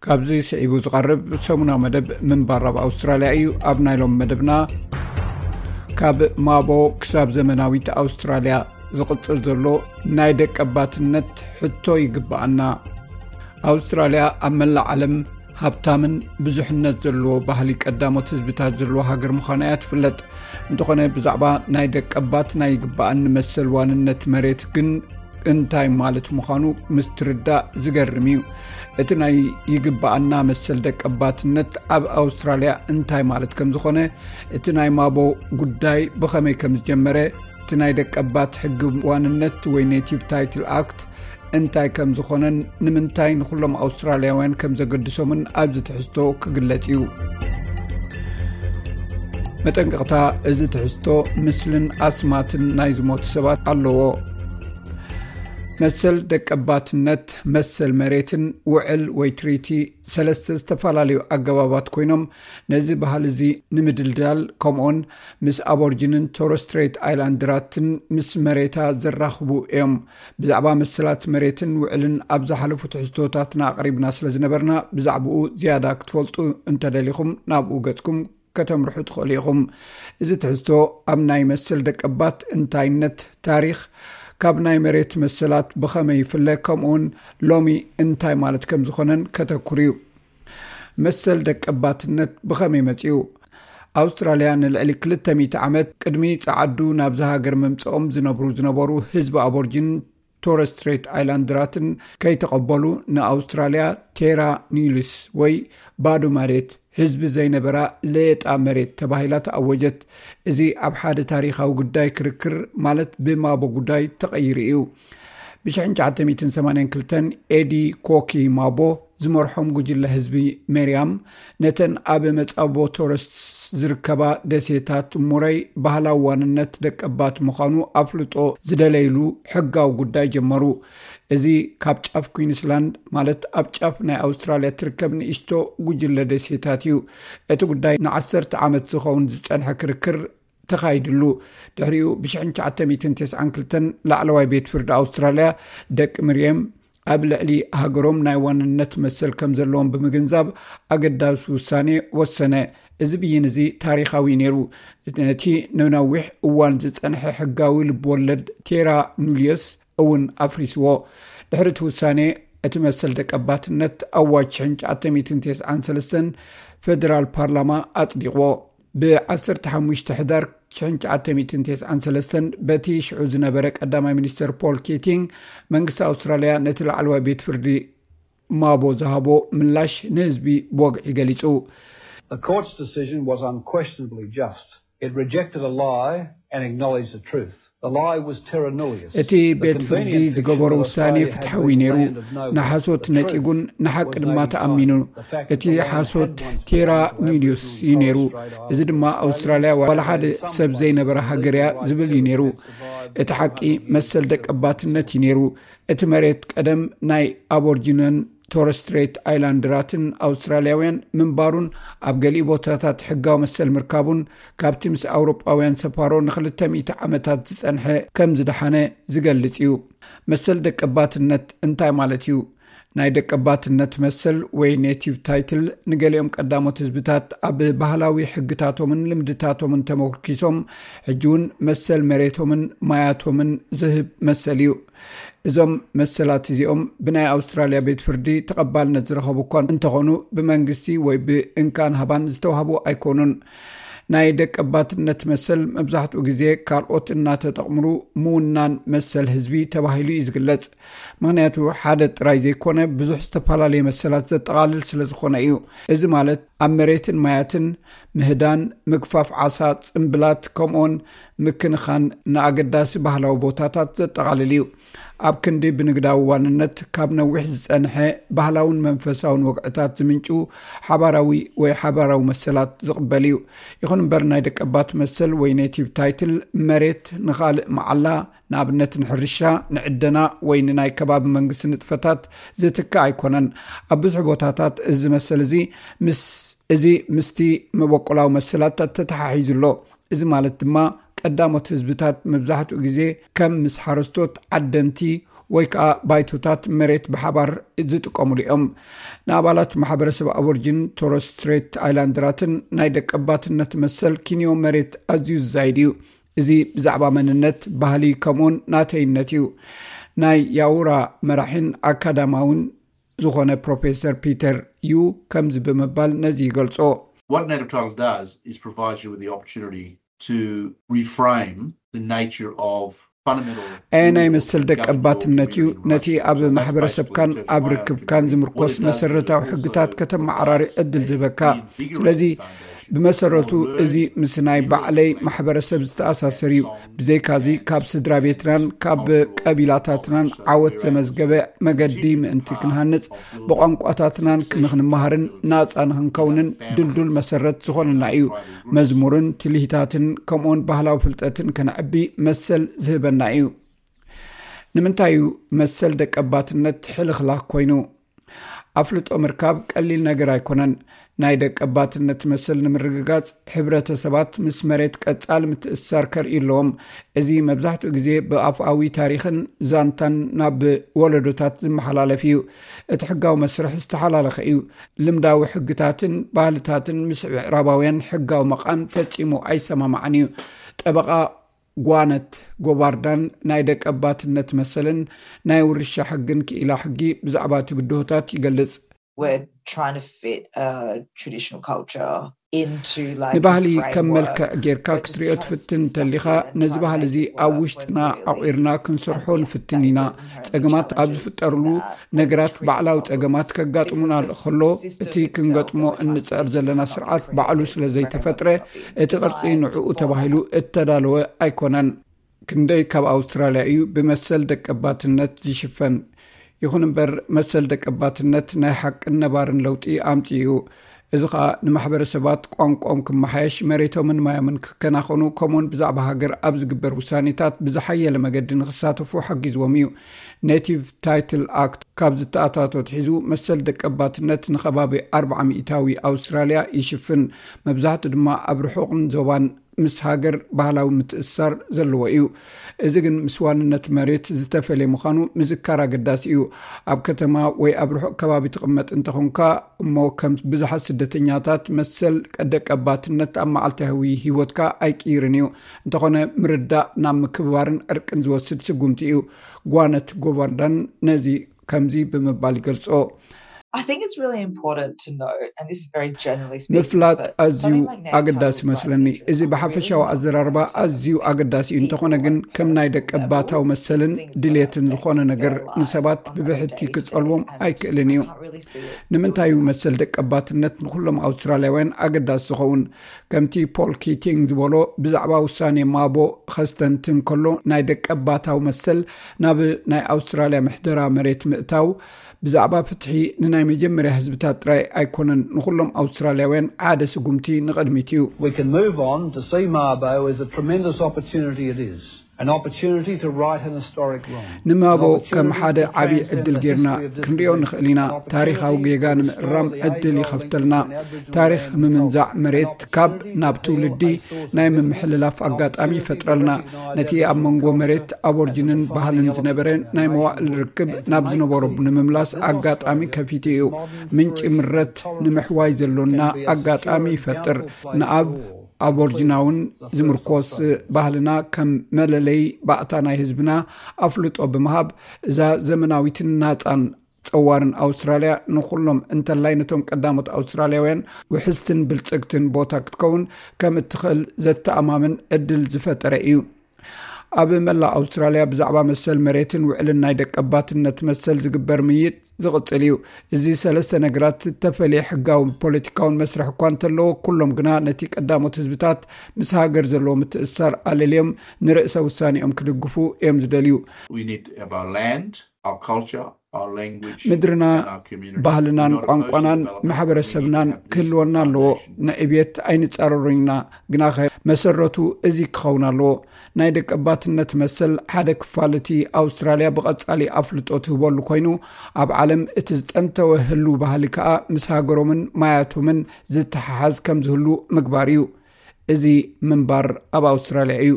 ካብዚ ስዒቡ ዝቐርብ ሰሙናዊ መደብ ምንባር ኣብ ኣውስትራልያ እዩ። ኣብ ናይ ሎም መደብና፣ ካብ ማቦ ክሳብ ዘመናዊት ኣውስትራልያ ዝቕጽል ዘሎ ናይ ደቀባትነት ሕቶ ይግብኣና። ኣውስትራልያ ኣብ መላእ ዓለም ሃብታምን ብዙሕነት ዘለዎ ባህሊ ቀዳሞት ህዝብታት ዘለዎ ሃገር ምዃና እያ ትፍለጥ። እንተኾነ፣ ብዛዕባ ናይ ደቀባት ናይ ይግብኣኒ መሰል ዋንነት መሬት ግን እንታይ ማለት ምዃኑ ምስ ትርዳእ ዝገርም እዩ። እቲ ናይ ይግብኣና መሰል ደቀባትነት ኣብ ኣውስትራልያ እንታይ ማለት ከም ዝኾነ፣ እቲ ናይ ማቦ ጉዳይ ብኸመይ ከም ዝጀመረ፣ እቲ ናይ ደቀባት ሕጊ ዋንነት ወይ ኔቲቭ ታይትል ኣክት እንታይ ከም ዝኾነን ንምንታይ ንኹሎም ኣውስትራልያውያን ከም ዘገድሶምን ኣብዚ ትሕዝቶ ክግለጽ እዩ። መጠንቀቕታ፣ እዚ ትሕዝቶ ምስልን ኣስማትን ናይ ዝሞቱ ሰባት ኣለዎ። መሰል ደቀባትነት፣ መሰል መሬትን ውዕል ወይ ትሪቲ ሰለስተ ዝተፈላለዩ ኣገባባት ኮይኖም፣ ነዚ ባህሊ እዚ ንምድልዳል፣ ከምኡውን ምስ ኣቦርጅንን ቶረስ ስትሬት ኣይላንድራትን ምስ መሬታ ዘራኽቡ እዮም። ብዛዕባ መሰላት መሬትን ውዕልን ኣብ ዝሓለፉ ትሕዝቶታትና ኣቕሪብና ስለ ዝነበርና፣ ብዛዕባኡ ዝያዳ ክትፈልጡ እንተደሊኹም ናብኡ ገጽኩም ከተምርሑ ትኽእሉ ኢኹም። እዚ ትሕዝቶ ኣብ ናይ መሰል ደቀባት እንታይነት፣ ታሪኽ፣ ካብ ናይ መሬት መሰላት ብኸመይ ይፍለ፣ ከምኡውን ሎሚ እንታይ ማለት ከም ዝኾነን ከተኩር እዩ። መሰል ደቀባትነት ብኸመይ መጺኡ? ኣውስትራልያ ንልዕሊ ክልተ ሚእቲ ዓመት ቅድሚ ጸዓዱ ናብዚ ሃገር ምምጽኦም ዝነብሩ ዝነበሩ ህዝቢ ኣቦርጅን ቶረስ ስትሬት ኣይላንድራትን ከይተቐበሉ፣ ንኣውስትራልያ ቴራ ኒሉስ ወይ ባዶ መሬት ህዝቢ ዘይነበራ ሌጣ መሬት ተባሂላ ተኣወጀት። እዚ ኣብ ሓደ ታሪኻዊ ጉዳይ ክርክር፣ ማለት ብማቦ ጉዳይ ተቐይሩ እዩ። ብ ትሽዓተ ሚእትን ሰማንያን ክልተን ኤዲ ኮኪ ማቦ ዝመርሖም ጉጅለ ህዝቢ ሜርያም፣ ነተን ኣብ መጻቦ ቶረስ ዝርከባ ደሴታት ሙረይ ባህላዊ ዋንነት ደቀባት ምዃኑ ኣፍልጦ ዝደለይሉ ሕጋዊ ጉዳይ ጀመሩ። እዚ ካብ ጫፍ ኩዊንስላንድ፣ ማለት ኣብ ጫፍ ናይ ኣውስትራልያ ትርከብ ንእሽቶ ጉጅለ ደሴታት እዩ። እቲ ጉዳይ ንዓሰርተ ዓመት ዝኸውን ዝጸንሐ ክርክር ተኻይድሉ። ድሕሪኡ ብ ትሽዓተ ሚእትን ተስዓን ክልተን ላዕለዋይ ቤት ፍርዲ ኣውስትራልያ ደቂ ምርየም ኣብ ልዕሊ ሃገሮም ናይ ዋንነት መሰል ከም ዘለዎም ብምግንዛብ ኣገዳሲ ውሳኔ ወሰነ። እዚ ብይን እዚ ታሪኻዊ ነይሩ። ነቲ ንነዊሕ እዋን ዝጸንሐ ሕጋዊ ልብወለድ ቴራ ኑልዮስ እውን ኣፍሪስዎ። ድሕሪ እቲ ውሳኔ፣ እቲ መሰል ደቀባትነት ኣዋጅ ትሽዓተ ሚእትን ተስዓን ሰለስተን ፌደራል ፓርላማ ኣጽዲቕዎ። ብ ዓሰርተ ሓሙሽተ ሕዳር ትሽዓተ ሚእትን ተስዓን ሰለስተን፣ በቲ ሽዑ ዝነበረ ቀዳማይ ሚኒስተር ፖል ኬቲንግ፣ መንግስቲ ኣውስትራልያ ነቲ ላዕለዋይ ቤት ፍርዲ ማቦ ዝሃቦ ምላሽ ንህዝቢ ብወግዒ ገሊጹ። The court's decision was unquestionably just. It rejected a lie and acknowledged the truth. The lie was Terra Nullius. እቲ ቤት ፍርዲ ዝገበሮ ውሳኔ ፍትሓዊ ነይሩ። ንሓሶት ነጺጉን ንሓቂ ድማ ተኣሚኑ። እቲ ሓሶት ቴራ ኑልዮስ እዩ ነይሩ። እዚ ድማ ኣውስትራልያ ዋላ ሓደ ሰብ ዘይነበረ ሃገር እያ ዝብል እዩ ነይሩ። እቲ ሓቂ መሰል ደቀባትነት እዩ ነይሩ። እቲ መሬት ቀደም ናይ ኣቦርጂነን ቶረስ ስትሬት ኣይላንድራትን ኣውስትራልያውያን ምንባሩን ኣብ ገሊኡ ቦታታት ሕጋዊ መሰል ምርካቡን ካብቲ ምስ ኣውሮጳውያን ሰፋሮ ንክልተ ሚእቲ ዓመታት ዝጸንሐ ከም ዝደሓነ ዝገልጽ እዩ። መሰል ደቀባትነት እንታይ ማለት እዩ? ናይ ደቀባትነት መሰል ወይ ኔቲቭ ታይትል ንገሊኦም ቀዳሞት ህዝብታት ኣብ ባህላዊ ሕግታቶምን ልምድታቶምን ተመርኪሶም ሕጂ እውን መሰል መሬቶምን ማያቶምን ዝህብ መሰል እዩ። እዞም መሰላት እዚኦም ብናይ ኣውስትራልያ ቤት ፍርዲ ተቐባልነት ዝረኸቡ እኳ እንተኾኑ፣ ብመንግስቲ ወይ ብእንካን ሃባን ዝተዋህቡ ኣይኮኑን። ናይ ደቀባትነት መሰል መብዛሕትኡ ግዜ ካልኦት እናተጠቕምሩ ምውናን መሰል ህዝቢ ተባሂሉ እዩ ዝግለጽ። ምኽንያቱ ሓደ ጥራይ ዘይኮነ ብዙሕ ዝተፈላለየ መሰላት ዘጠቓልል ስለ ዝኾነ እዩ። እዚ ማለት ኣብ መሬትን ማያትን ምህዳን፣ ምግፋፍ ዓሳ፣ ጽምብላት፣ ከምኡውን ምክንኻን ንኣገዳሲ ባህላዊ ቦታታት ዘጠቓልል እዩ። ኣብ ክንዲ ብንግዳዊ ዋንነት ካብ ነዊሕ ዝጸንሐ ባህላውን መንፈሳውን ወግዕታት ዝምንጩ ሓባራዊ ወይ ሓባራዊ መሰላት ዝቕበል እዩ። ይኹን እምበር ናይ ደቀባት መሰል ወይ ኔቲቭ ታይትል መሬት ንኻልእ መዓላ፣ ንኣብነት ንሕርሻ፣ ንዕደና ወይ ንናይ ከባቢ መንግስቲ ንጥፈታት ዝትክእ ኣይኮነን። ኣብ ብዙሕ ቦታታት እዚ መሰል እዚ ምስ እዚ ምስቲ መበቆላዊ መሰላት ተተሓሒዙ ኣሎ። እዚ ማለት ድማ ቀዳሞት ህዝብታት መብዛሕትኡ ግዜ ከም ምስ ሓረስቶት፣ ዓደንቲ ወይ ከዓ ባይቶታት መሬት ብሓባር ዝጥቀሙሉ እዮም። ንኣባላት ማሕበረሰብ ኣቦርጂን ቶረስ ስትሬት ኣይላንደራትን ናይ ደቀባትነት መሰል ኪንዮ መሬት ኣዝዩ ዝዛይድ እዩ። እዚ ብዛዕባ መንነት፣ ባህሊ፣ ከምኡውን ናተይነት እዩ። ናይ ያውራ መራሒን ኣካዳማውን ዝኾነ ፕሮፌሰር ፒተር ዩ ከምዚ ብምባል ነዚ ይገልጾ። What native title does is provide you with the opportunity to reframe the nature of fundamental ናይ መሰል ደቀባትነት እዩ። ነቲ ኣብ ማሕበረሰብካን ኣብ ርክብካን ዝምርኮስ መሰረታዊ ሕግታት ከተመዓራሪ ዕድል ዝበካ። ስለዚ ብመሰረቱ እዚ ምስ ናይ ባዕለይ ማሕበረሰብ ዝተኣሳሰር እዩ። ብዘይካዚ ካብ ስድራ ቤትናን ካብ ቀቢላታትናን ዓወት ዘመዝገበ መገዲ ምእንቲ ክንሃንጽ፣ ብቋንቋታትናን ንክንመሃርን ናፃ ንክንከውንን ድልዱል መሰረት ዝኾነና እዩ። መዝሙርን ትልሂታትን ከምኡውን ባህላዊ ፍልጠትን ከነዕቢ መሰል ዝህበና እዩ። ንምንታይ እዩ መሰል ደቀባትነት ሕልኽላኽ ኮይኑ? ኣፍልጦ ምርካብ ቀሊል ነገር ኣይኮነን። ናይ ደቀባትነት መሰል ንምርግጋጽ፣ ሕብረተሰባት ምስ መሬት ቀጻሊ ምትእስሳር ከርእዩ ኣለዎም። እዚ መብዛሕትኡ ግዜ ብኣፍኣዊ ታሪኽን ዛንታን ናብ ወለዶታት ዝመሓላለፍ እዩ። እቲ ሕጋዊ መስርሕ ዝተሓላለኸ እዩ። ልምዳዊ ሕግታትን ባህልታትን ምስ ምዕራባውያን ሕጋዊ መቓን ፈጺሙ ኣይሰማማዕን እዩ። ጠበቓ ጓነት ጎባርዳን ናይ ደቀባትነት መሰልን ናይ ውርሻ ሕግን ክኢላ ሕጊ ብዛዕባ እቲ ብድሆታት ይገልጽ። We're trying to fit a traditional culture into like ንባህሊ a ከም መልክዕ framework. ጌርካ ክትሪኦ ትፍትን እንተሊኻ፣ ነዚ ባህሊ እዚ ኣብ ውሽጥና ኣቑርና ክንሰርሖ ንፍትን ኢና። ጸገማት ኣብ ዝፍጠርሉ ነገራት፣ ባዕላዊ ጸገማት ከጋጥሙና ከሎ፣ እቲ ክንገጥሞ እንጽዕር ዘለና ስርዓት ባዕሉ ስለ ዘይተፈጥረ፣ እቲ ቅርጺ ንዕኡ ተባሂሉ እተዳለወ ኣይኮነን። ክንደይ ካብ ኣውስትራልያ እዩ ብመሰል ደቀባትነት ዝሽፈን? ይኹን እምበር፣ መሰል ደቀባትነት ናይ ሓቅን ነባርን ለውጢ ኣምጺኡ እዩ። እዚ ኸኣ ንማሕበረሰባት ቋንቋኦም ክመሓየሽ፣ መሬቶምን ማዮምን ክከናኸኑ፣ ከምኡውን ብዛዕባ ሃገር ኣብ ዝግበር ውሳኔታት ብዝሓየለ መገዲ ንክሳተፉ ሓጊዝዎም እዩ። ኔቲቭ ታይትል ኣክት ካብ ዝተኣታቶ ኣትሒዙ፣ መሰል ደቀባትነት ንኸባቢ ኣርብዓ ሚእታዊ ኣውስትራልያ ይሽፍን። መብዛሕትኡ ድማ ኣብ ርሑቕን ዞባን ምስ ሃገር ባህላዊ ምትእስሳር ዘለዎ እዩ። እዚ ግን ምስ ዋንነት መሬት ዝተፈልየ ምዃኑ ምዝካር ኣገዳሲ እዩ። ኣብ ከተማ ወይ ኣብ ርሑቕ ከባቢ ትቕመጥ እንተኾንካ እሞ፣ ከም ብዙሓት ስደተኛታት፣ መሰል ደቀባትነት ኣብ መዓልታዊ ህይወትካ ኣይቅይርን እዩ። እንተኾነ፣ ምርዳእ ናብ ምክብባርን ዕርቅን ዝወስድ ስጉምቲ እዩ። ጓነት ጎባርዳን ነዚ ከምዚ ብምባል ይገልጾ። I think it's really important to know, and this is very generally speaking, ምፍላጥ but ኣዝዩ something like native ኣገዳሲ title ይመስለኒ። rights is እዚ really ብሓፈሻዊ important ኣዘራርባ to ኣዝዩ ኣገዳሲ እዩ። እንተኾነ ግን፣ ከም ናይ ደቀባታዊ መሰልን ድሌትን ዝኾነ ነገር ንሰባት ብብሕቲ ክጸልዎም ኣይክእልን እዩ። ንምንታይ እዩ መሰል ደቀባትነት ንኹሎም ኣውስትራልያውያን ኣገዳሲ ዝኸውን? ከምቲ ፖል ኪቲንግ ዝበሎ፣ ብዛዕባ ውሳኔ ማቦ ኸስተንትን ከሎ፣ ናይ ደቀባታዊ መሰል ናብ ናይ ኣውስትራልያ ምሕደራ መሬት ምእታው ብዛዕባ ፍትሒ ንናይ መጀመርያ ህዝብታት ጥራይ ኣይኮነን፣ ንኹሎም ኣውስትራልያውያን ሓደ ስጉምቲ ንቕድሚት እዩ። We can move on to see Mabo as a tremendous opportunity it is, an opportunity to right an historic wrong. ንማቦ ከም ሓደ ዓብዪ ዕድል ጌርና ክንሪኦ ንኽእል ኢና። ታሪኻዊ ጌጋ ንምእራም ዕድል ይኸፍተልና። ታሪኽ ምምንዛዕ መሬት ካብ ናብ ትውልዲ ናይ ምምሕልላፍ ኣጋጣሚ ይፈጥረልና። ነቲ ኣብ መንጎ መሬት ኣቦርጅንን ባህልን ዝነበረ ናይ መዋእል ርክብ ናብ ዝነበሮ ንምምላስ ኣጋጣሚ ከፊቱ እዩ። ምንጪ ምረት ንምሕዋይ ዘሎና ኣጋጣሚ ይፈጥር። ንኣብ ኣቦርጅናውን ዝምርኮስ ባህልና ከም መለለይ ባእታ ናይ ህዝብና ኣፍልጦ ብምሃብ፣ እዛ ዘመናዊትን ናጻን ጸዋርን ኣውስትራልያ ንኹሎም እንተላይ ነቶም ቀዳሞት ኣውስትራልያውያን ውሕስትን ብልጽግትን ቦታ ክትከውን ከም እትኽእል ዘተኣማምን ዕድል ዝፈጠረ እዩ። ኣብ መላእ ኣውስትራልያ ብዛዕባ መሰል መሬትን ውዕልን ናይ ደቀባትነት መሰል ዝግበር ምይጥ ዝቕጽል እዩ። እዚ ሰለስተ ነገራት ዝተፈለየ ሕጋውን ፖለቲካውን መስርሕ እኳ እንተለዎ፣ ኩሎም ግና ነቲ ቀዳሞት ህዝብታት ምስ ሃገር ዘለዎ ምትእስሳር ኣለልዮም ንርእሰ ውሳኔኦም ክድግፉ እዮም ዝደልዩ። We need to have our land, our culture, our language, ምድርና፣ and our community. ባህልናን Not a ቋንቋናን social development. ማሕበረሰብናን We need to have this ክህልወና ኣለዎ። foundation. ንዕብየት ኣይንጻረሩን ኢና፣ ግናኸ መሰረቱ እዚ ክኸውን ኣለዎ። ናይ ደቀባትነት መሰል ሓደ ክፋል እቲ ኣውስትራልያ ብቐጻሊ ኣፍልጦ ትህበሉ ኮይኑ፣ ኣብ ዓለም እቲ ዝጠንተወ ህሉ ባህሊ ከኣ ምስ ሃገሮምን ማያቶምን ዝተሓሓዝ ከም ዝህሉ ምግባር እዩ። እዚ ምንባር ኣብ ኣውስትራልያ እዩ።